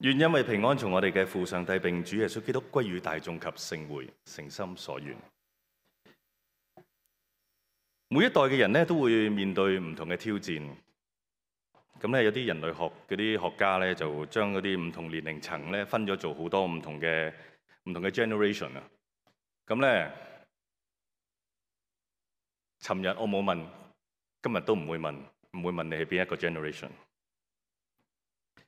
願因為平安從我哋嘅父上帝並主耶穌基督歸於大眾及聖會，誠心所願。每一代嘅人咧都會面對唔同嘅挑戰。咁咧有啲人類學嗰啲學家咧就將嗰啲唔同年齡層咧分咗做好多唔同嘅 generation 啊。咁咧，尋日我冇問，今日都唔會問你係邊一個 generation。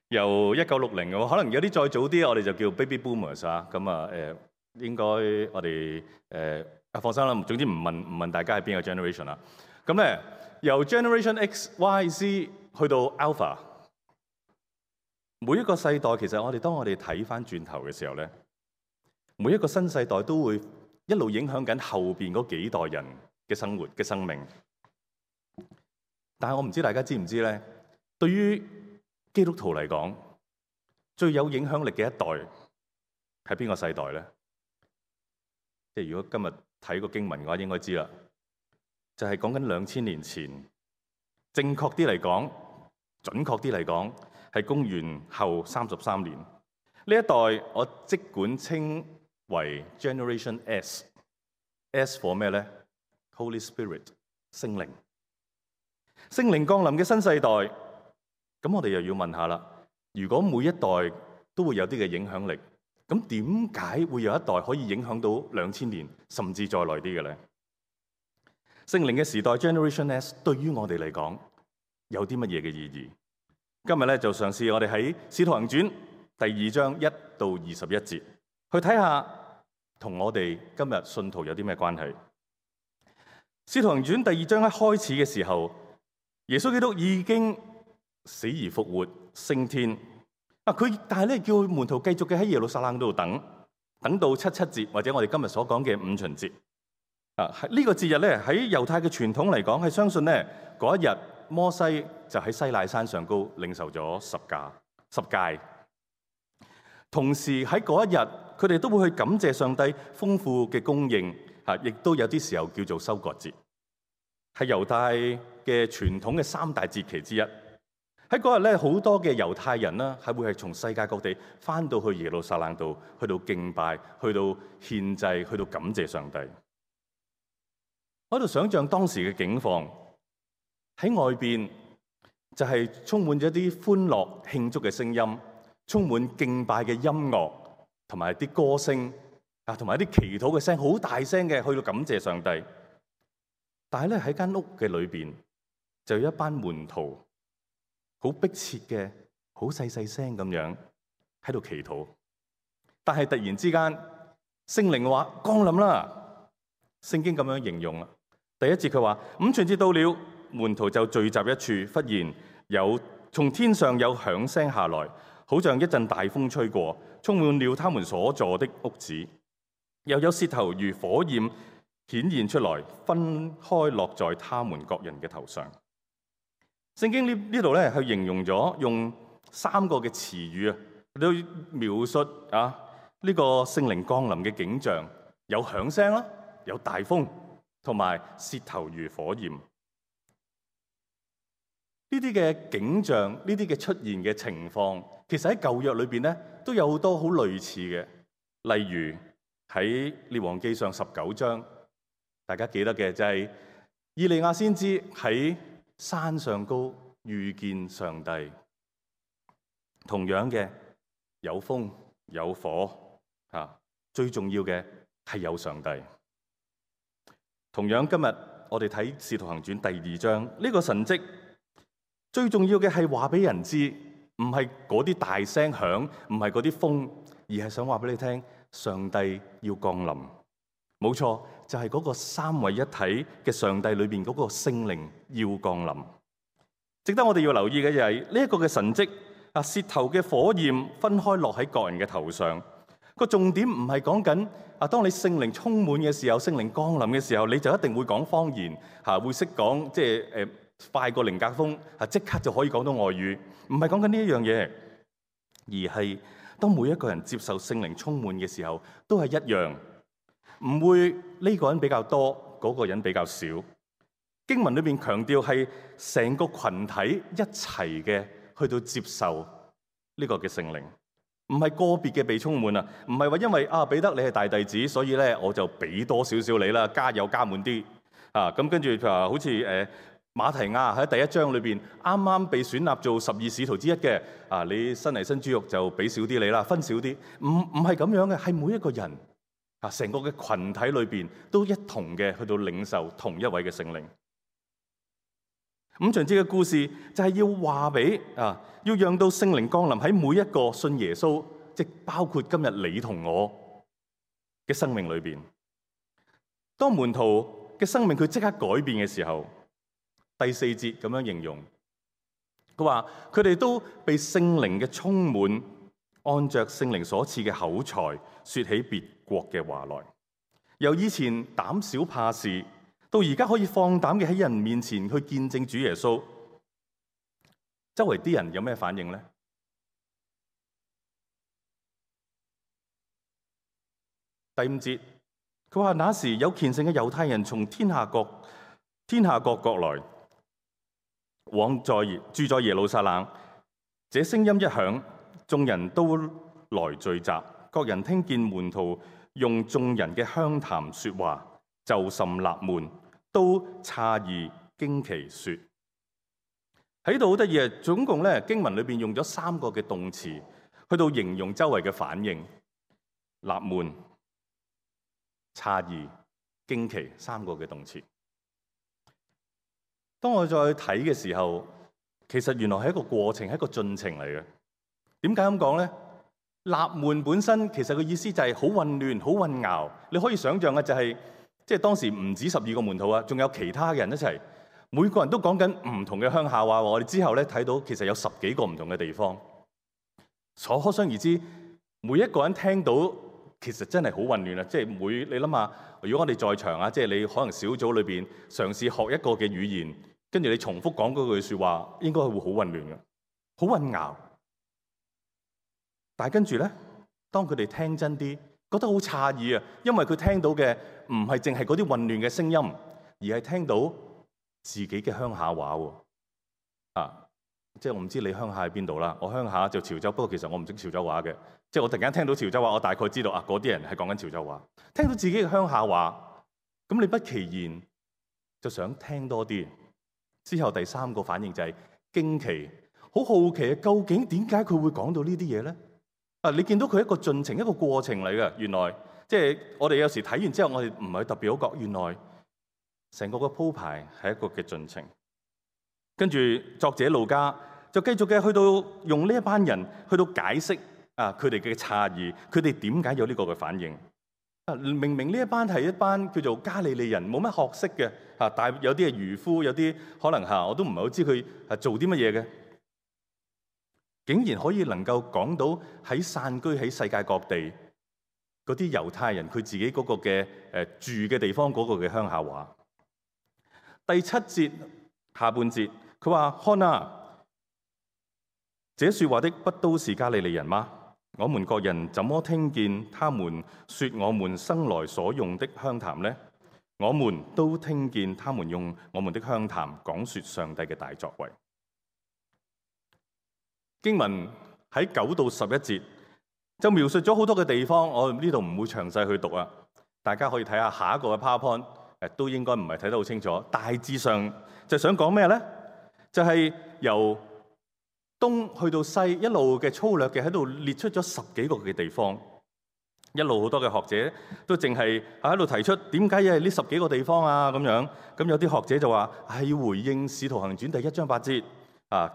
由1960嘅話，可能有啲再早啲，我哋就叫 baby boomers 啊。咁啊應該我哋放心啦。總之唔問大家係邊個 generation 啦。咁咧由 generation X、Y、Z 去到 Alpha， 每一個世代其實當我哋睇翻轉頭嘅時候咧，每一個新世代都會一路影響緊後邊嗰幾代人嘅生活嘅生命。但係我唔知大家知唔知咧？對於基督徒嚟講，最有影響力嘅一代係邊個世代咧？即係如果今日睇個經文嘅話，應該知啦。就係講緊2000年前，正確啲嚟講，準確啲嚟講，係公元後33年。呢一代我即管稱為 Generation S。S for 咩咧 ？Holy Spirit， 聖靈。聖靈降臨嘅新世代。咁我哋又要問下啦，如果每一代都會有啲嘅影響力，咁點解會有一代可以影響到2000年，甚至再耐啲嘅咧？聖靈嘅時代 Generation S 對於我哋嚟講有啲乜嘢嘅意義？今日咧就嘗試我哋喺《使徒行傳》第2章1到21節去睇下，同我哋今日信徒有啲咩關係？《使徒行傳》第2章一開始嘅時候，耶穌基督已經死而復活，升天。但係咧叫門徒繼續嘅喺耶路撒冷度等到7.7節，或者我哋今日所講嘅五旬節。呢個節日咧喺猶太嘅傳統嚟講，係相信咧嗰一日摩西就喺西奈山上高領受咗十誡。同時喺嗰一日，佢哋都會去感謝上帝豐富嘅供應，亦都有啲時候叫做收割節，係猶太嘅傳統嘅3大節期之一。喺嗰日咧，好多嘅猶太人啦，係會係從世界各地翻到去耶路撒冷度，去到敬拜，去到獻祭，去到感謝上帝。我喺度想象當時嘅景況，喺外邊就係充滿咗啲歡樂慶祝嘅聲音，充滿敬拜嘅音樂，同埋啲歌聲同埋啲祈禱嘅聲，好大聲嘅去到感謝上帝。但係咧喺間屋嘅裏邊，就有一班門徒，好迫切嘅，好細聲咁樣喺度祈禱。但係突然之間，聖靈話降臨啦。聖經咁樣形容啦。第一節佢話五旬節到了，門徒就聚集一處，忽然有從天上有響聲下來，好像一陣大風吹過，充滿了他們所坐的屋子。又有舌頭如火焰顯現出來，分開落在他們各人嘅頭上。聖經呢度咧，去形容咗用3個嘅詞語去描述呢個聖靈降臨嘅景象，有響聲啦，有大風，同埋舌頭如火焰。呢啲嘅景象，呢啲嘅出現嘅情況，其實喺舊約裏邊咧都有好多好類似嘅，例如喺列王記上19章，大家記得嘅就係以利亞先知喺山上高遇見上帝，同樣嘅有風有火最重要嘅係有上帝。同樣今日我哋睇《使徒行傳》第2章呢個神蹟，最重要嘅係話俾人知，唔係嗰啲大聲響，唔係嗰啲風，而係想話俾你聽，上帝要降臨。冇錯，就係嗰個三位一體嘅上帝裏邊嗰個聖靈要降臨。值得我哋要留意嘅就係呢一個嘅神蹟，舌頭嘅火焰分開落喺各人嘅頭上。個重點唔係講緊當你聖靈充滿嘅時候，聖靈降臨嘅時候，你就一定會講方言會識講，即係快過靈格風即刻就可以講到外語。唔係講緊呢一樣嘢，而係當每一個人接受聖靈充滿嘅時候，都係一樣。唔會呢個人比較多，嗰個人比較少。經文裏邊強調係成個群體一齊嘅去到接受呢個嘅聖靈，唔係個別嘅被充滿啊，唔係話因為彼得你係大弟子，所以咧我就俾多少少你啦，加油加滿啲啊。咁跟住譬如話好似馬提亞喺第一章裏邊啱啱被選立做12使徒之一嘅你新嚟新豬肉就俾少啲你啦，分少啲，唔係咁樣嘅，係每一個人成個嘅群體裏邊都一同嘅去到領受同一位嘅聖靈。五旬節嘅故事就係要話俾要讓到聖靈降臨喺每一個信耶穌，即包括今日你同我嘅生命裏邊。當門徒嘅生命佢即刻改變嘅時候，第4節咁樣形容，佢話佢哋都被聖靈嘅充滿，按着聖靈所賜嘅口才，說起別國嘅話來。由以前膽小怕事，到而家可以放膽嘅喺人面前去見證主耶穌。周圍啲人有咩反應呢？第5節，佢話那時有虔誠嘅猶太人從天下各國來，往住在耶路撒冷。這聲音一響，眾人都來聚集，各人聽見門徒用眾人嘅鄉談說話，就甚納悶，都詫異驚奇說。喺度好得意啊！總共咧經文裏邊用咗3個嘅動詞去到形容周圍嘅反應：納悶、詫異、驚奇，3個嘅動詞。當我再睇嘅時候，其實原來係一個過程，係一個進程嚟嘅。點解咁講咧？納悶本身其實個意思就係好混亂、好混淆。你可以想象嘅就係，即係當時唔止12個門徒啊，仲有其他嘅人一齊，每個人都講緊唔同嘅鄉下話。我哋之後咧睇到，其實有10幾個唔同嘅地方。可想而知，每一個人聽到其實真係好混亂啊！即係你諗下，如果我哋在場啊，即係你可能小組裏邊嘗試學一個嘅語言，跟住你重複講嗰句説話，應該係會好混亂嘅，好混淆。但係跟住咧，當佢哋聽真啲，覺得好詫異啊，因為佢聽到嘅唔係淨係嗰啲混亂嘅聲音，而係聽到自己嘅鄉下話喎。即係我唔知你鄉下喺邊度啦，我鄉下就潮州，不過其實我唔識潮州話嘅。即係我突然間聽到潮州話，我大概知道嗰啲人係講緊潮州話。聽到自己嘅鄉下話，咁你不其然就想聽多啲。之後第3個反應就係驚奇，好好奇啊！究竟點解佢會講到呢啲嘢咧？你見到佢一個進程，一個過程嚟嘅。原來即係我哋有時睇完之後，我哋唔係特別好覺，原來成個嘅鋪排係一個嘅進程。跟住作者路加就繼續嘅去到用呢一班人去到解釋佢哋嘅詫異，佢哋點解有呢個嘅反應。明明呢一班係一班叫做加利利人，冇乜學識嘅但係有啲係漁夫，有啲可能我都唔係好知佢係做啲乜嘢嘅，竟然可以能夠講到喺散居喺世界各地嗰啲猶太人佢自己嗰個嘅住嘅地方嗰個嘅鄉下話。第7節下半節，佢話：看啊，這說話的不都是加利利人嗎？我們各人怎麼聽見他們說我們生來所用的鄉談呢？我們都聽見他們用我們的鄉談講說上帝嘅大作為。經文喺9到11節就描述咗好多嘅地方，我呢度唔會詳細去讀啊。大家可以睇下下一個嘅 PowerPoint，都應該唔係睇得好清楚。大致上就想講咩呢？就係由東去到西，一路嘅粗略嘅喺度列出咗10幾個嘅地方，一路好多嘅學者都淨係喺度提出點解係呢10幾個地方啊咁樣。咁有啲學者就話係要回應《使徒行傳》第1章8節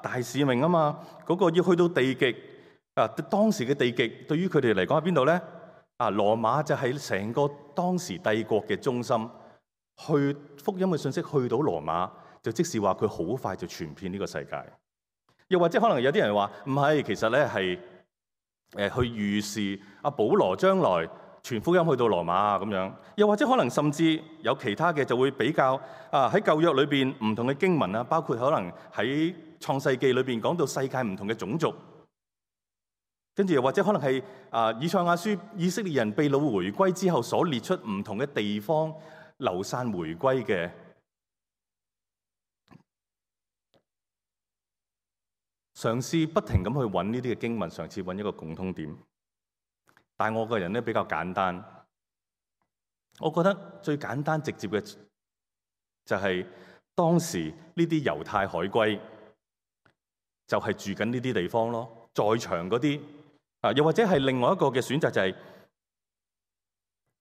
大使命啊嘛，嗰個要去到地極當時嘅地極對於佢哋嚟講喺邊度咧？羅馬就係成個當時帝國嘅中心，去福音嘅信息去到羅馬，就即是話佢好快就傳遍呢個世界。又或者可能有啲人話唔係，其實咧係去預示保羅將來傳福音去到羅馬咁樣。又或者可能甚至有其他嘅就會比較喺舊約裏邊唔同嘅經文啊，包括可能喺創世記裏邊講到世界唔同嘅種族，跟住又或者可能係以賽亞書以色列人被擄回歸之後所列出唔同嘅地方流散回歸嘅。嘗試不停咁去揾呢啲嘅經文，嘗試揾一個共通點。但係我個人咧比較簡單，我覺得最簡單直接嘅就係當時呢啲猶太海歸就係住緊呢啲地方咯，在場嗰啲又或者係另外一個嘅選擇就係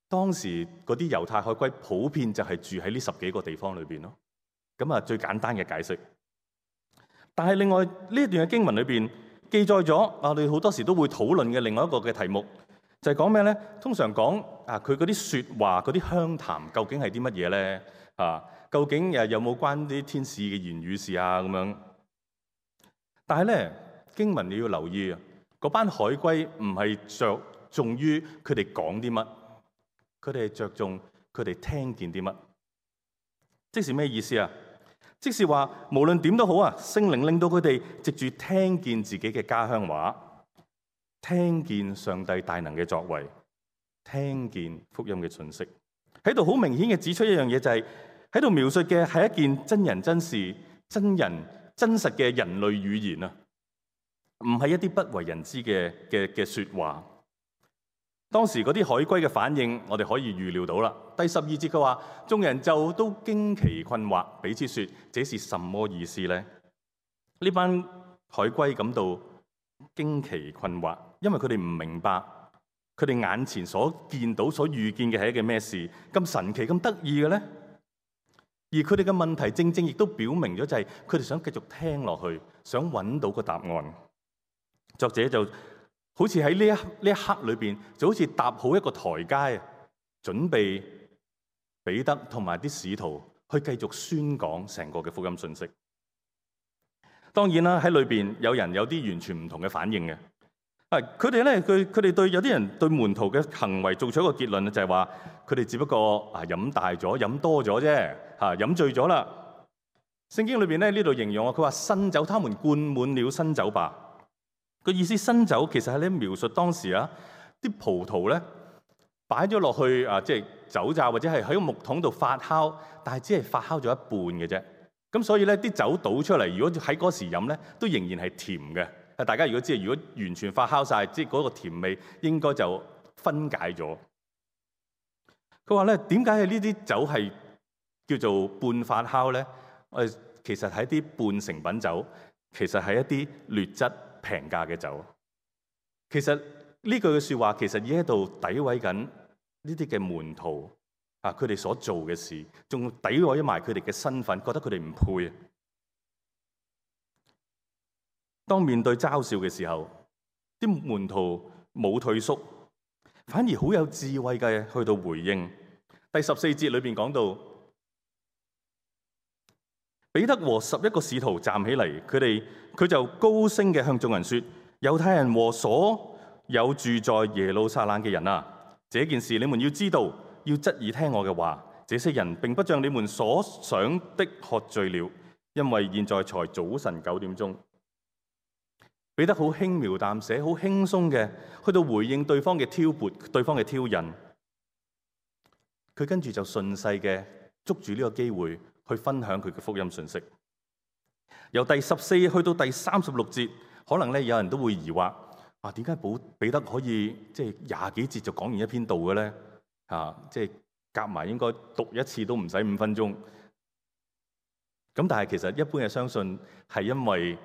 當時嗰啲猶太海歸普遍就係住喺呢10幾個地方裏邊咯。咁啊，最簡單嘅解釋。但係另外呢一段嘅經文裏邊記載咗我哋好多時都會討論嘅另外一個嘅題目，就係講咩咧？通常講佢嗰啲説話、嗰啲鄉談究竟係啲乜嘢咧？究竟有冇關啲天使嘅言語事啊？咁樣。但係咧，經文你要留意啊，嗰班海歸唔係着重於佢哋講啲乜，佢哋係着重佢哋聽見啲乜。即是咩意思啊？即是話無論點都好啊，聖靈令到佢哋藉住聽見自己嘅家鄉話，聽見上帝大能嘅作為，聽見福音嘅訊息，喺度好明顯嘅指出一樣嘢，就係喺度描述嘅係一件真人真事、真人真實嘅人類語言啊，唔係一啲不為人知嘅説話。當時嗰啲海歸嘅反應，我哋可以預料到啦。第12節佢話，眾人就都驚奇困惑，彼此說：這是什麼意思呢？呢班海歸感到驚奇困惑，因為佢哋唔明白，佢哋眼前所見到、所遇見嘅係一件咩事，咁神奇、咁得意嘅呢？而佢哋嘅問題正正亦都表明咗，就係佢哋想繼續聽落去，想揾到個答案。作者就好似喺呢一刻裏邊，就好似搭好一個台階，準備彼得同埋啲使徒去繼續宣講成個嘅福音信息。當然啦，喺裏邊有人有啲完全唔同嘅反應嘅。佢哋咧，佢哋對有啲人對門徒嘅行為做出一個結論，就係話佢哋只不過飲大咗、飲多咗啫，飲醉咗啦。聖經裏邊咧呢度形容佢話新酒，他們灌滿了新酒吧。個意思新酒其實係咧描述當時啲葡萄咧擺咗落去即係酒榨或者係喺個木桶度發酵，但係只係發酵咗一半嘅啫。咁所以咧啲酒倒出嚟，如果喺嗰時飲咧，都仍然係甜嘅。大家如果知道，如果完全發酵晒，即係嗰個甜味應該就分解咗。佢話咧，點解係呢啲酒係叫做半發酵咧？其實係一啲半成品酒，其實係一啲劣質平價嘅酒。其實呢句嘅説話其實已經喺度詆毀緊呢啲嘅門徒佢哋所做嘅事，仲詆毀埋佢哋嘅身份，覺得佢哋唔配。當面對嘲笑嘅時候，啲門徒冇退縮，反而好有智慧嘅去到回應。第14節裏邊講到，彼得和11個使徒站起嚟，佢就高聲嘅向眾人說：猶太人和所有住在耶路撒冷嘅人啊，這件事你們要知道，要側耳聽我嘅話。這些人並不像你們所想的喝醉了，因為現在才早晨9點鐘。彼得好輕描淡寫、好輕鬆嘅去到回應對方嘅挑撥、對方嘅挑釁。佢跟住就順勢嘅捉住呢個機會去分享佢嘅福音信息。由第14去到第36節，可能咧有人都會疑惑：點解彼得可以即係20幾節就講完一篇道嘅咧？即係夾埋應該讀一次都唔使5分鐘。咁但係其實一般嘅相信係因為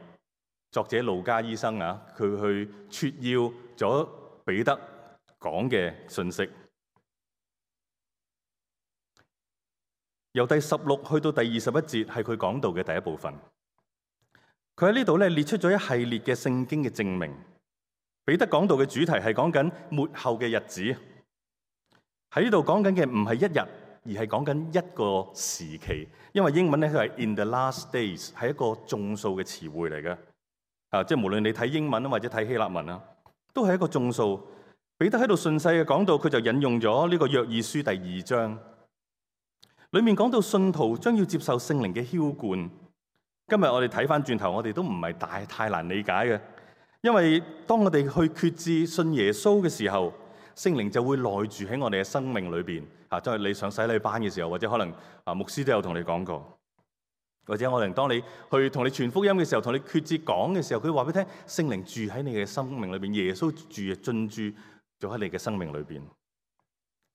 作者路加醫生佢去撮要咗彼得講嘅信息。由第16去到第21節係佢講道嘅第一部分。佢喺呢度咧列出咗一系列嘅聖經嘅證明。彼得講道嘅主題係講緊末後嘅日子。喺呢度講緊嘅唔係一日，而係講緊一個時期。因為英文咧佢係 in the last days， 係一個眾數嘅詞彙嚟嘅。即係無論你睇英文或者睇希臘文都係一個眾數。彼得喺度順勢嘅講到，佢就引用咗呢個約珥書第2章，裡面講到信徒將要接受聖靈嘅澆灌。今日我哋睇翻轉頭，我哋都唔係太難理解嘅，因為當我哋去決志信耶穌嘅時候，聖靈就會內住喺我哋嘅生命裏邊。即係你上洗禮班嘅時候，或者可能牧師都有同你講過。或者可能當你去同你傳福音嘅時候，同你決志講嘅時候，佢話俾你聽，聖靈住喺你嘅生命裏邊，耶穌進駐咗喺你嘅生命裏邊。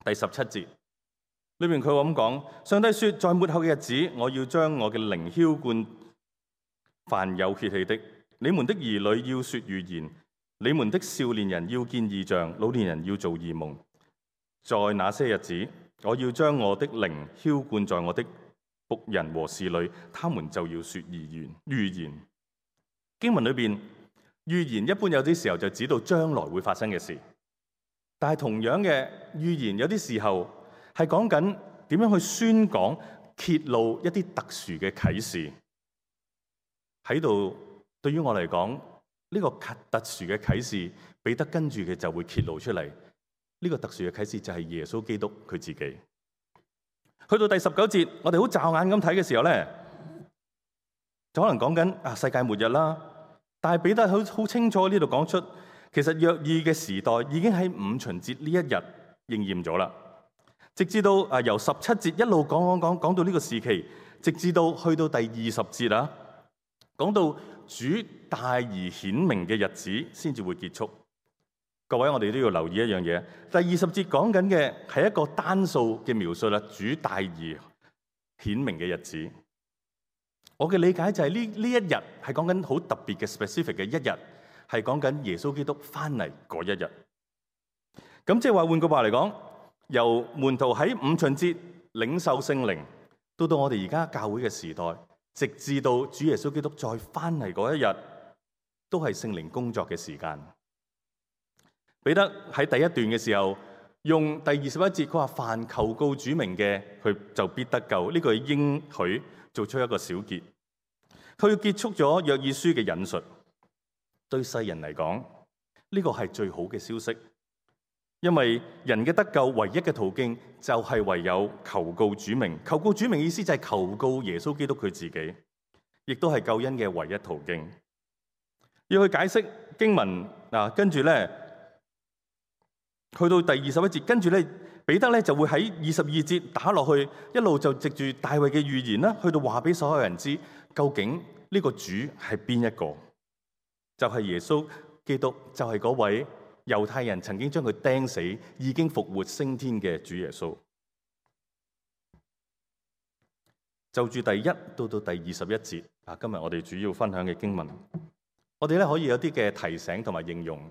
第17節裏邊佢話咁講：上帝說，在末後嘅日子，我要將我嘅靈澆灌凡有血氣的，你們的兒女要說預言，你們的少年人要見異象，老年人要做異夢。在那些日子，我要將我的靈澆灌在我的僕人和侍女，他們就要說預言。經文裏邊預言一般有啲時候就指到將來會發生嘅事，但係同樣嘅預言有啲時候係講緊點樣去宣講、揭露一啲特殊嘅啟示。喺度對於我嚟講，呢個特殊嘅啟示，彼得跟住嘅就會揭露出嚟。呢個特殊嘅啟示就係耶穌基督佢自己。去到第19節，我哋好驟眼咁睇嘅時候咧，就可能講緊世界末日啦。但係彼得好清楚呢度講出，其實約珥嘅時代已經喺五旬節呢一日應驗咗啦。直至到由17節一路講到呢個時期，直至到去到第20節啊，講到主大而顯明嘅日子先至會結束。各位，我哋都要留意一樣嘢。第20節講緊嘅係一個單數嘅描述啦，主大而顯明嘅日子。我嘅理解就係呢一日係講緊好特別嘅 specific 嘅一日，係講緊耶穌基督翻嚟嗰一日。咁即係話換句話嚟講，由門徒喺五旬節領受聖靈，到我哋而家教會嘅時代，直至到主耶穌基督再翻嚟嗰一日，都係聖靈工作嘅時間。彼得喺第一段嘅時候，用第21節，佢話凡求告主名嘅，佢就必得救。呢個係應許做出一個小結。佢要結束咗約珥書嘅引述。對世人嚟講，呢個係最好嘅消息，因為人嘅得救唯一嘅途徑就係唯有求告主名。求告主名意思就係求告耶穌基督佢自己，亦都係救恩嘅唯一途徑。要去解釋經文跟住咧。去到第21節，跟住咧，彼得咧就會喺22節打落去，一路就藉住大衛嘅預言啦，去到話俾所有人知，究竟呢個主係邊一個？就係耶穌基督，就係嗰位猶太人曾經將佢釘死，已經復活升天嘅主耶穌。就住第1到第21節今日我哋主要分享嘅經文，我哋咧可以有啲嘅提醒同埋應用。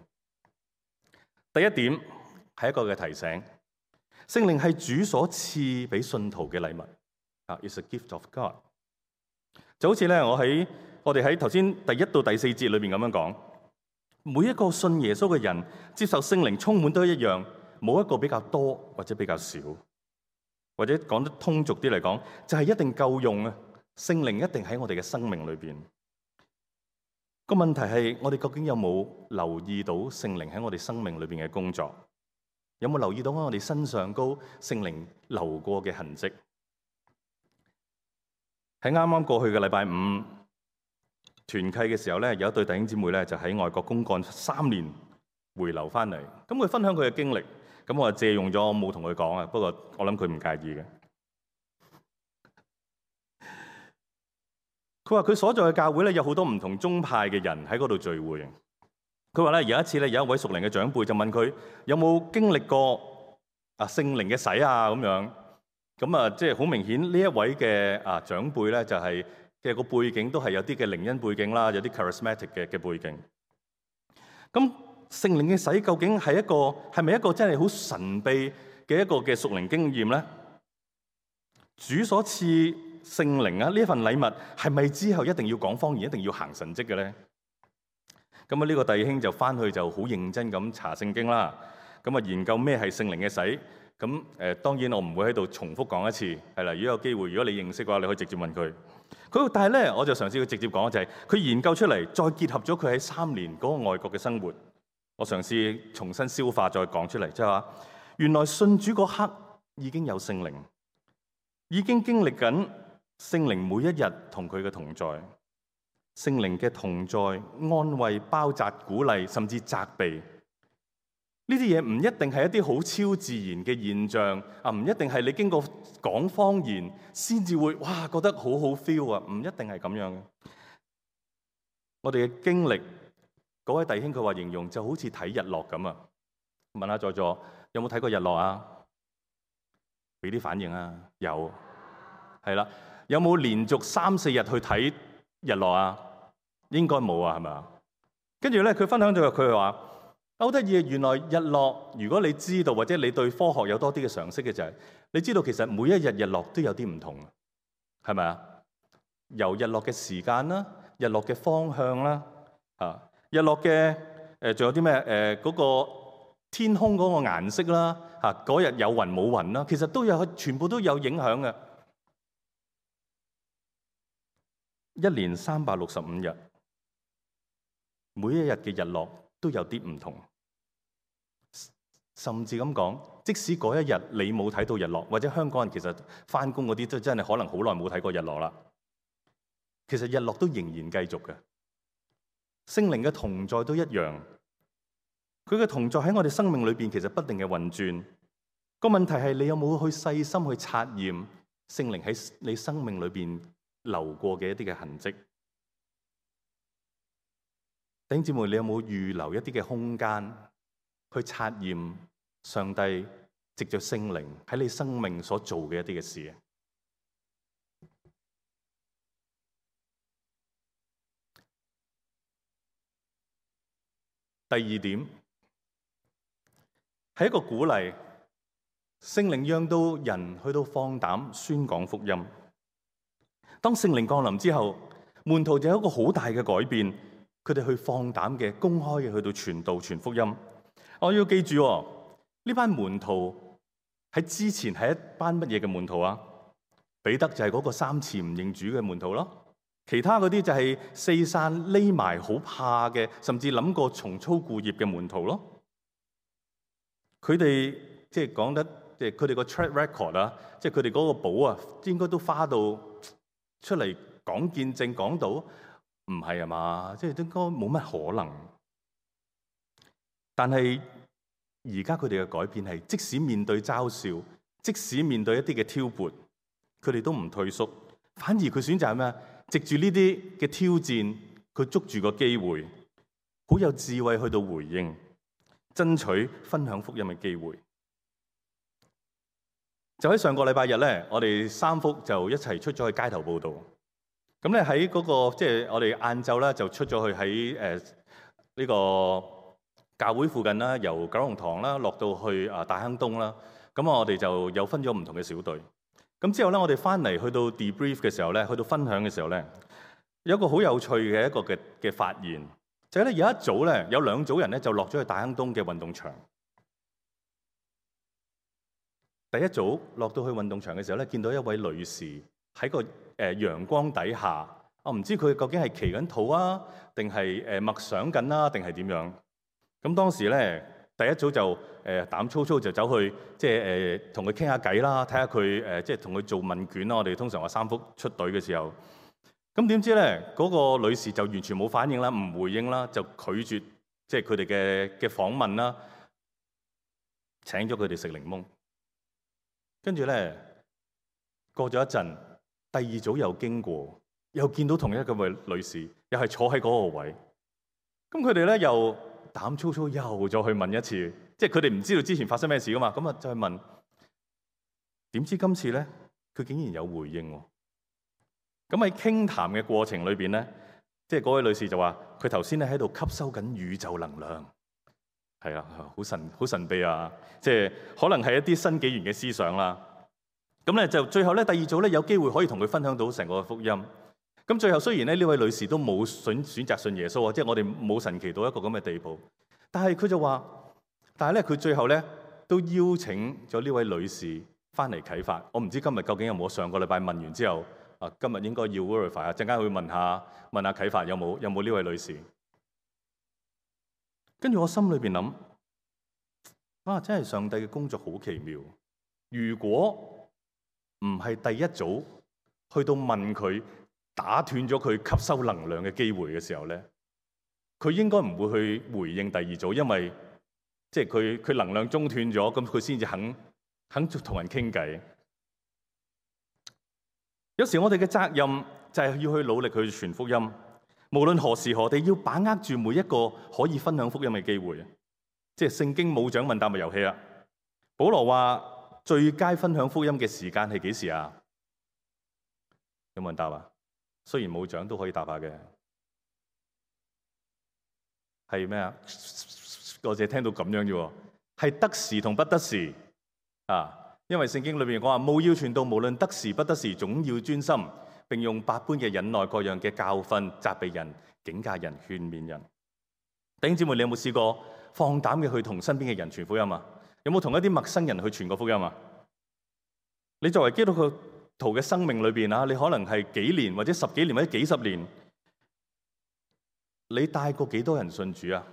第一點。係一個嘅提醒，聖靈係主所賜俾信徒嘅禮物，It's a gift of God。就好似咧，我哋喺頭先第1到第4節裏邊咁樣講，每一個信耶穌嘅人接受聖靈充滿都一樣，冇一個比較多或者比較少，或者講得通俗啲嚟講，就係一定夠用啊！聖靈一定喺我哋嘅生命裏邊。個問題係我哋究竟有冇留意到聖靈喺我哋生命裏邊嘅工作？有冇留意到我哋身上高聖靈流過嘅痕跡？喺啱啱過去嘅禮拜5團契嘅時候咧，有一對弟兄姊妹咧就喺外國公幹3年回流翻嚟，咁佢分享佢嘅經歷，咁我就借用咗，我冇同佢講啊，不過我諗佢唔介意嘅。佢話佢所在嘅教會咧有好多唔同宗派嘅人喺嗰度聚會。佢話咧有一次咧有一位屬靈嘅長輩就問佢有冇經歷過聖靈嘅洗咁樣，咁即係好明顯呢一位嘅長輩咧就係嘅個背景都係有啲嘅靈恩背景啦，有啲 charismatic 嘅背景。咁聖靈嘅洗究竟係咪一個真係好神秘嘅一個嘅屬靈經驗咧？主所賜聖靈呢份禮物係咪之後一定要講方言，一定要行神蹟嘅咧？咁呢個弟兄就翻去就好認真咁查聖經啦，咁研究咩係聖靈嘅洗。咁當然我唔會喺度重複講一次，係啦。如果有機會，如果你認識嘅話，你可以直接問佢。但係咧，我就嘗試去直接講，就係佢研究出嚟，再結合咗佢喺3年嗰個外國嘅生活，我嘗試重新消化再講出嚟，即係話原來信主嗰刻已經有聖靈，已經經歷緊聖靈每一日同佢嘅同在。聖靈嘅同在、安慰、包紮、鼓勵，甚至責備，呢啲嘢唔一定係一啲好超自然嘅現象啊，唔一定係你經過講方言先至會哇覺得好好 feel 啊，唔一定係咁樣嘅。我哋嘅經歷，嗰位弟兄佢話形容就好似睇日落咁啊。問下在座有冇睇過日落啊？俾啲反應啊！有，係啦。有冇連續3-4日去睇日落啊？應該冇啊，係咪啊？跟住咧，佢分享咗佢話好得意，原來日落，如果你知道或者你對科學有多啲嘅常識嘅就係，你知道其實每一日日落都有啲唔同，係咪啊？由日落嘅時間啦，日落嘅方向啦，日落嘅仲有啲咩嗰個天空嗰個顏色啦，嗰日有雲冇雲啦，其實都有，全部都有影響嘅。一年365日，每一日嘅日落都有啲唔同，甚至咁講，即使嗰一日你冇睇到日落，或者香港人其實返工嗰啲都真係可能好耐冇睇過日落啦。其實日落都仍然繼續嘅，聖靈嘅同在都一樣。佢嘅同在喺我哋生命裏邊，其實不定嘅運轉。個問題係你有冇去細心去察驗聖靈喺你生命裏邊流過嘅一啲嘅痕跡？弟兄姊妹，你有冇預留一啲嘅空間去察驗上帝藉着聖靈喺你生命所做嘅一啲嘅事？第二點係一個鼓勵，聖靈讓到人去到放膽宣講福音。當聖靈降臨之後，門徒就有一個好大嘅改變，佢哋去放膽嘅公開嘅去到傳道傳福音。我要記住呢班門徒喺之前係一班乜嘢嘅門徒啊？彼得就係嗰個3次唔認主嘅門徒咯。其他嗰啲就係四散匿埋好怕嘅，甚至諗過重操故業嘅門徒咯。佢哋即係講得，即係佢哋個 track record 啊，即係佢哋嗰個簿啊，應該都花到出嚟講見證講到，唔係啊嘛？即係應該冇乜可能。但係而家佢哋嘅改變係，即使面對嘲笑，即使面對一啲嘅挑撥，佢哋都唔退縮，反而佢選擇係咩？藉住呢啲嘅挑戰，佢捉住個機會，好有智慧去到回應，爭取分享福音嘅機會。就喺上個禮拜日咧，我哋3福就一齊出咗去街頭報道。咁咧喺嗰個即係我哋晏晝咧就出咗去喺呢個教會附近啦，由九龍塘啦落到去大坑東啦。咁我哋就有分咗唔同嘅小隊。咁之後咧，我哋翻嚟去到 debrief 嘅時候咧，去到分享嘅時候咧，有一個好有趣嘅一個嘅發現，就係咧有一組咧有2組人咧就落咗去大坑東嘅運動場。第一組落到去運動場嘅時候咧，見到一位女士喺個陽光底下，我唔知佢究竟係祈緊禱啊，定係默想緊啦，定係點樣？咁當時咧，第一組就膽粗粗就走去，即係同佢傾下偈啦，睇下佢即係同佢做問卷啦。我哋通常話3福出隊嘅時候，咁點知咧嗰個女士就完全冇反應啦，唔回應啦，就拒絕即係佢哋嘅訪問啦，請咗佢哋食檸檬。跟住咧過咗一陣，第2組又經過，又見到同一個位女士，又係坐喺嗰個位。咁佢哋咧又膽粗粗又再去問一次，即係佢哋唔知道之前發生咩事噶嘛，咁啊再問，點知今次咧佢竟然有回應喎。咁喺傾談嘅過程裏邊咧，即係嗰位女士就話佢頭先咧喺度吸收緊宇宙能量，係啊，好神秘啊，即係可能係一啲新紀元嘅思想啦。咁咧就最後咧第2組咧有機會可以同佢分享到成個福音。咁最後雖然咧呢位女士都冇選擇信耶穌啊，即係我哋冇神奇到一個咁嘅地步，但係佢就話，但係咧佢最後咧都邀請咗呢位女士翻嚟啟發。我唔知今日究竟有冇上個禮拜問完之後啊，今日應該要 verify 啊，陣間會問下啟發有冇呢位女士。跟住我心裏邊諗，啊真係上帝嘅工作好奇妙。如果唔係第一組去到問佢，打斷咗佢吸收能量嘅機會嘅時候咧，佢應該唔會去回應第2組，因為即係佢能量中斷咗，咁佢先至肯同人傾偈。有時我哋嘅責任就係要去努力去傳福音，無論何時何地，要把握住每一個可以分享福音嘅機會。即係聖經冇獎問答嘅遊戲啊！保羅話最佳分享福音嘅時間係幾時啊？有冇人答啊？雖然冇獎都可以答下嘅，係咩啊？我淨係聽到咁樣啫，係得時同不得時啊！因為聖經裏邊講話，務要傳道，無論得時不得時，總要專心，並用百般嘅忍耐、各樣嘅教訓、責備人、警戒人、勸勉人。弟兄姊妹，你有冇試過放膽嘅去同身邊嘅人傳福音啊？有冇同一啲陌生人去傳過福音啊？你作為基督徒嘅生命裏邊啊，你可能係幾年或者10幾年或者幾十年，你帶過幾多人信主啊？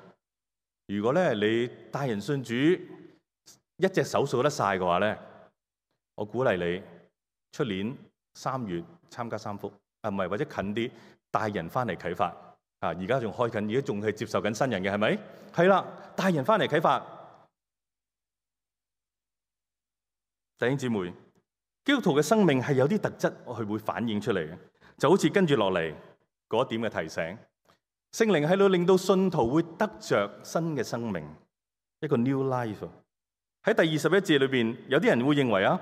如果咧你帶人信主一隻手數得晒嘅話咧，我鼓勵你出年3月參加3福啊，唔係，或者近啲帶人翻嚟啟發啊！而家仲開緊，而家仲係接受緊新人嘅，係咪？係啦，帶人翻嚟啟發。弟兄姊妹，基督徒嘅生命係有啲特質，佢會反映出嚟嘅，就好似跟住落嚟嗰一點嘅提醒，聖靈喺度令到信徒會得着新嘅生命，一個 new life。喺第21節裏邊，有啲人會認為啊，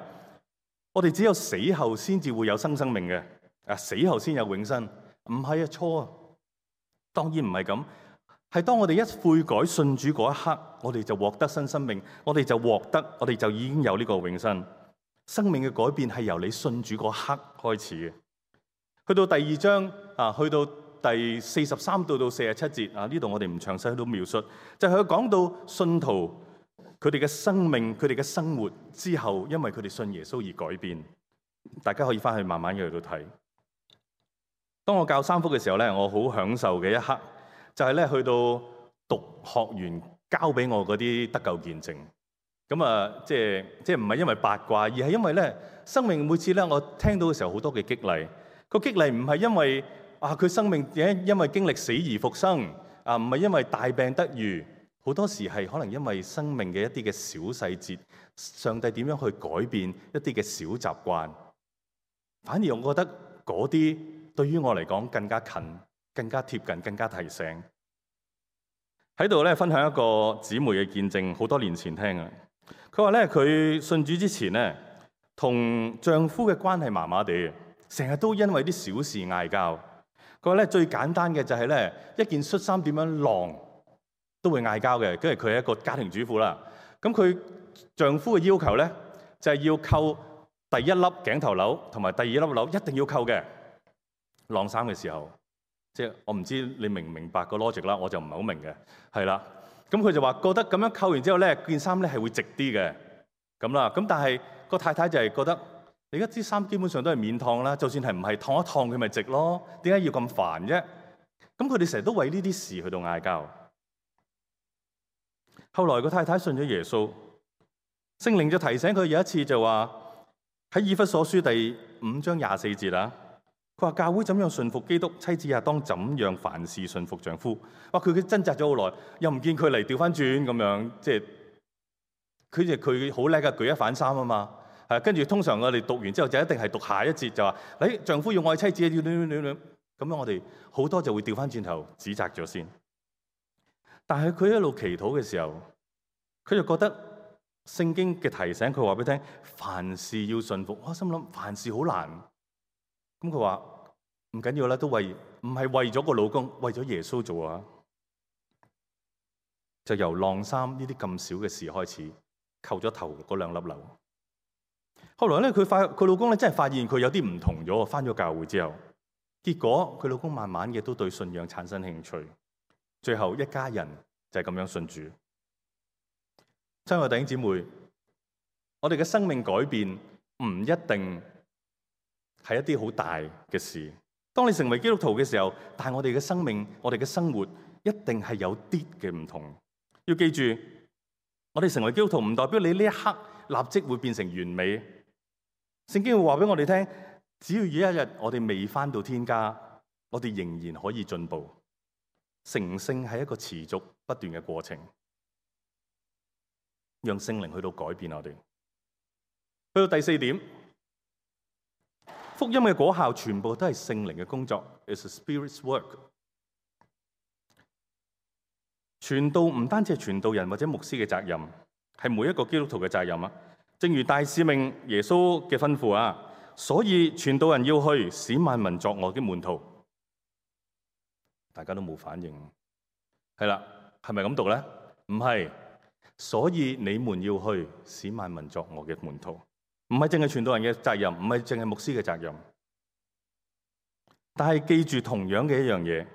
我哋只有死後先至會有新生命嘅，啊，死後先有永生，唔係啊，錯啊，當然唔係咁，係當我哋一悔改信主嗰一刻，我哋就獲得新生命，我哋就已經有呢個永生。生命嘅改變係由你信主嗰刻開始嘅。去到第2章啊，去到第43到47節啊，呢度我哋唔詳細去到描述，就係佢講到信徒佢哋嘅生命、佢哋嘅生活之後，因為佢哋信耶穌而改變。大家可以翻去慢慢嘅去到睇。當我教3福嘅時候咧，我好享受嘅一刻就係咧去到讀學員交俾我嗰啲得救見證。咁啊，即係唔係因為八卦，而係因為咧生命每次咧我聽到嘅時候好多嘅激勵。個激勵唔係因為啊佢生命因為經歷死而復生啊，唔係因為大病得愈。好多時係可能因為生命嘅一啲嘅小細節，上帝點樣去改變一啲嘅小習慣。反而我覺得嗰啲對於我嚟講更加近、更加貼近、更加提醒。喺度咧分享一個姊妹嘅見證，好多年前聽嘅。佢話咧佢信主之前咧，同丈夫嘅關係麻麻地，成日都因為啲小事嗌交。佢話咧最簡單嘅就係咧一件恤衫點樣晾都會嗌交嘅，跟住佢係一個家庭主婦啦。咁佢丈夫嘅要求咧，就係要扣第1粒頸頭鈕同埋第2粒鈕，一定要扣嘅。晾衫嘅時候，即係我唔知你明唔明白個 logic 啦，我就唔係好明嘅，係啦。咁佢就話覺得咁樣扣完之後咧，件衫咧係會直啲嘅，咁啦。咁但係個太太就係覺得，你而家啲衫基本上都係免燙啦，就算係唔係燙一燙佢咪直咯，點解要咁煩啫？咁佢哋成日都為呢啲事去到嗌交。後來個太太信咗耶穌，聖靈就提醒佢有一次就話喺以弗所書第5章24節啦，佢話教會怎樣順服基督，妻子也當怎樣凡事順服丈夫。哇！佢掙扎咗好耐，又唔見佢嚟調翻轉咁樣，即係佢好叻㗎，舉一反三啊嘛。係跟住通常我哋讀完之後就一定係讀下一節就話，丈夫要愛妻子，咁樣我哋好多就會調翻轉頭指責咗先。但係佢一路祈禱嘅時候，佢就覺得聖經嘅提醒，佢話俾你聽，凡事要順服。我心諗凡事好難。咁佢話唔緊要啦，都唔係為咗個老公，為咗耶穌做啊。就由晾衫呢啲咁少嘅事開始，扣咗頭嗰2粒鈕。後來咧，佢老公咧真係發現佢有啲唔同咗，返咗教會之後，結果佢老公慢慢嘅都對信仰產生興趣。最後一家人就係咁樣信主。親愛的弟兄姊妹，我哋嘅生命改變唔一定係一啲好大嘅事。當你成為基督徒嘅時候，但係我哋嘅生命、我哋嘅生活一定係有啲嘅唔同。要記住，我哋成為基督徒唔代表你呢一刻立即會變成完美。聖經會話俾我哋聽，只要有一日我哋未返到天家，我哋仍然可以進步。成聖係一個持續不斷嘅過程。讓聖靈去到改變我哋。去到第四點，福音嘅果效全部都係聖靈嘅工作 ，It's a Spirit's work。傳道唔單止係傳道人或者牧師嘅責任，係每一個基督徒嘅責任啊！正如大使命耶穌嘅吩咐啊，所以傳道人要去，使萬民作我嘅門徒。大家都冇反應，係啦，係咪咁讀咧？唔係，所以你們要去，使萬民作我嘅門徒，唔係淨係傳道人嘅責任，唔係淨係牧師嘅責任。但係記住同樣嘅一樣嘢，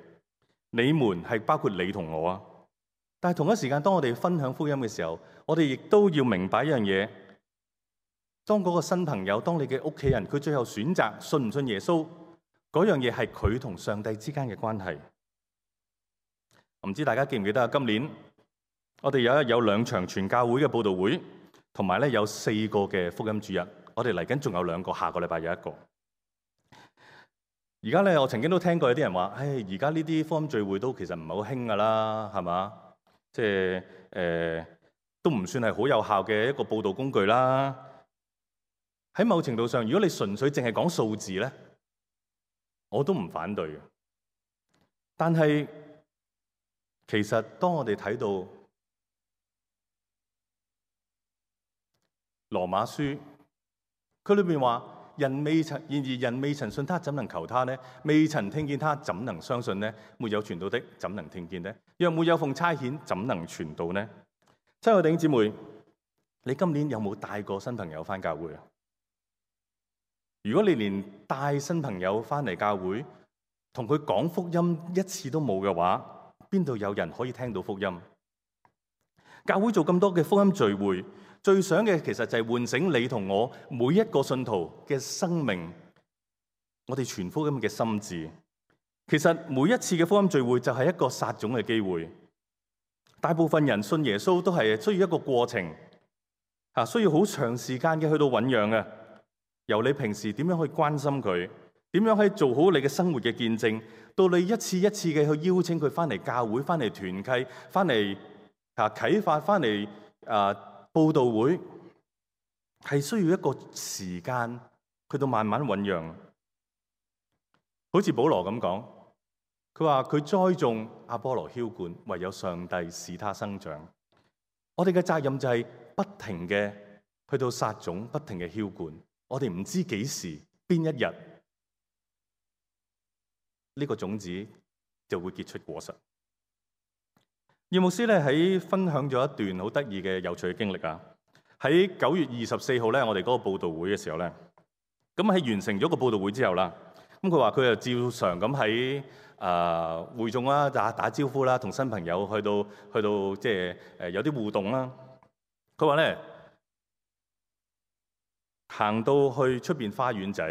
你們係包括你同我啊！但係同一時間，當我哋分享福音嘅時候，我哋亦都要明白一樣嘢。當嗰個新朋友，當你嘅屋企人，佢最後選擇信唔信耶穌，嗰樣嘢係佢同上帝之間嘅關係。唔知大家記唔記得啊？今年我哋有2場全教會嘅佈道會，同埋咧有4個嘅福音主日。我哋嚟緊仲有2個，下個禮拜有1個。而家咧，我曾經都聽過有啲人話，而家呢啲福音聚會都其實唔係好興噶啦，係嘛？即係都唔算係好有效嘅一個佈道工具啦。喺某程度上，如果你純粹淨係講數字咧，我都唔反對嘅。但係其實當我哋睇到羅馬書，佢裏面話：然而人未曾信他，怎能求他呢？未曾聽見他，怎能相信呢？沒有傳道的，怎能聽見呢？若沒有奉差遣，怎能傳道呢？親愛弟兄姊妹，你今年有冇帶過新朋友返教會啊？如果你連帶新朋友返嚟教會，同佢講福音一次都冇嘅話，邊度有人可以聽到福音？教會做咁多嘅福音聚會，最想嘅其實就係喚醒你同我每一個信徒嘅生命，我哋傳福音嘅心志。其實每一次嘅福音聚會就係一個撒種嘅機會。大部分人信耶穌都係需要一個過程，需要好長時間嘅去到醞釀嘅。由你平時點樣去關心佢，點樣去做好你嘅生活嘅見證，到你一次一次嘅去邀請佢翻嚟教會、翻嚟團契、翻嚟啟發、翻嚟佈道會，係需要一個時間去到慢慢醞釀。好似保羅咁講，佢話佢栽種，阿波羅澆灌，唯有上帝使他生長。我哋嘅責任就係不停嘅去到撒種，不停嘅澆灌。我哋唔知幾時邊一日呢個種子就會結出果實。葉牧師咧喺分享咗一段好得意嘅有趣嘅經歷啊！喺9月24號咧，我哋嗰個佈道會嘅時候咧，咁喺完成咗個佈道會之後啦，咁佢話佢就照常咁喺會眾啦打招呼啦，同新朋友去到即係有啲互動啦。佢話咧，行到去出邊花園仔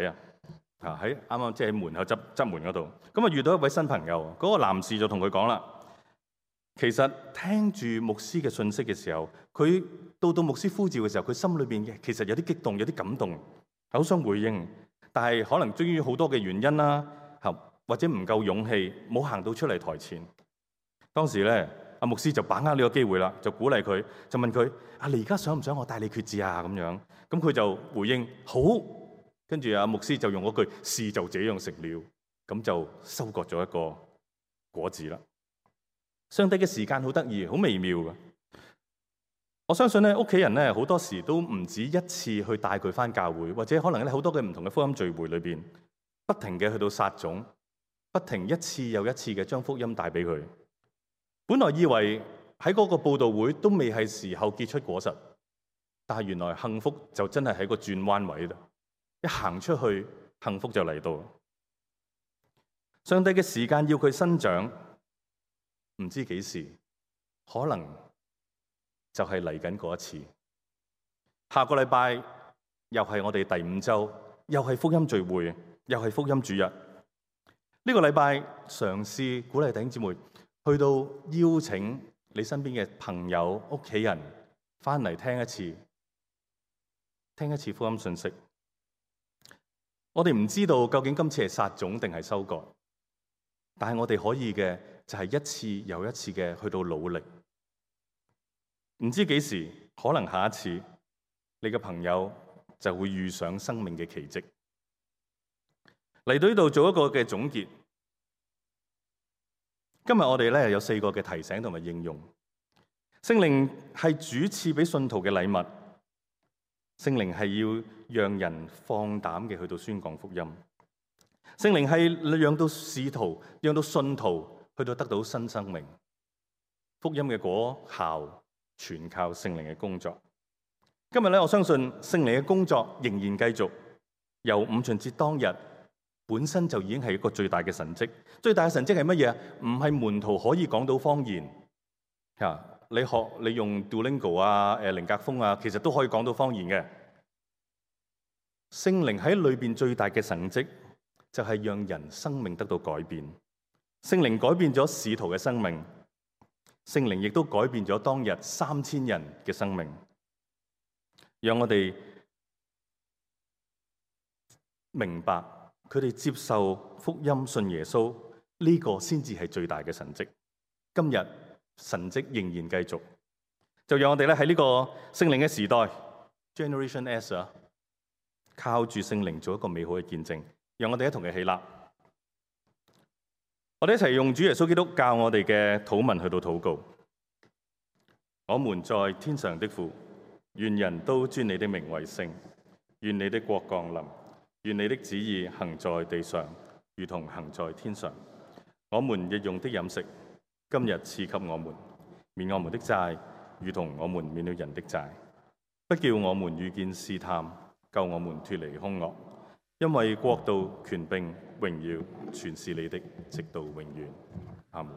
喺啱啱即係喺門口側門嗰度，咁啊遇到一位新朋友，嗰個男士就同佢講啦，其實聽住牧師嘅信息嘅時候，佢到牧師呼召嘅時候，佢心裏邊其實有啲激動，有啲感動，好想回應，但係可能基於好多嘅原因啦，或者唔夠勇氣，冇行到出嚟台前。當時咧，阿牧師就把握呢個機會啦，就鼓勵佢，就問佢：你而家想唔想我帶你決志啊？咁樣，咁佢就回應好。跟住阿牧師就用嗰句事就這樣成了，咁就收割咗一個果子啦。上帝嘅時間好得意，好微妙嘅。我相信咧，屋企人咧好多時都唔止一次去帶佢返教會，或者可能咧好多嘅唔同嘅福音聚會裏邊，不停嘅去到撒種，不停一次又一次嘅將福音帶俾佢。本來以為喺嗰個佈道會都未係時候結出果實，但係原來幸福就真係喺個轉彎位度，一行出去，幸福就嚟到。上帝嘅時間要佢生長，唔知幾時，可能就係嚟緊嗰一次。下個禮拜又係我哋第5週，又係福音聚會，又係福音主日。呢個禮拜嘗試鼓勵弟兄姊妹去到邀請你身邊嘅朋友、屋企人翻嚟聽一次福音信息。我哋唔知道究竟今次係撒種定係收割，但係我哋可以嘅就係一次又一次嘅去到努力。唔知幾時，可能下一次你嘅朋友就會遇上生命嘅奇蹟。嚟到呢度做一個嘅總結。今日我哋咧有4個嘅提醒同埋應用。聖靈係主賜俾信徒嘅禮物，聖靈係要讓人放膽嘅去到宣講福音，聖靈係讓到使徒、讓到信徒去到得到新生命。福音嘅果效全靠聖靈嘅工作。今日咧，我相信聖靈嘅工作仍然繼續。由五旬節當日本身就已經係一個最大嘅神蹟。最大嘅神蹟係乜嘢啊？唔係門徒可以講到方言。你用 Duolingo 啊、靈格風啊，其實都可以講到方言嘅。聖靈喺裏邊最大嘅神蹟就係讓人生命得到改變。聖靈改變咗使徒嘅生命，聖靈亦都改變咗當日3000人嘅生命。讓我哋明白佢哋接受福音、信耶穌呢個先至係最大嘅神蹟。今日神蹟仍然繼續，就讓我哋咧喺呢個聖靈嘅時代 Generation S 啊，靠住聖靈做一個美好嘅見證。讓我哋一同嘅起立，我哋一齊用主耶穌基督教我哋嘅禱文去到禱告。我們在天上的父，願人都尊你的名為聖，願你的國降臨，願你的旨意行在地上，如同行在天上。我們日用的飲食，今日賜給我們，免我們的債，如同我們免了人的債，不叫我們遇見試探，救我們脫離兇惡。因為國度、權柄、榮耀，全是你的，直到永遠。阿們。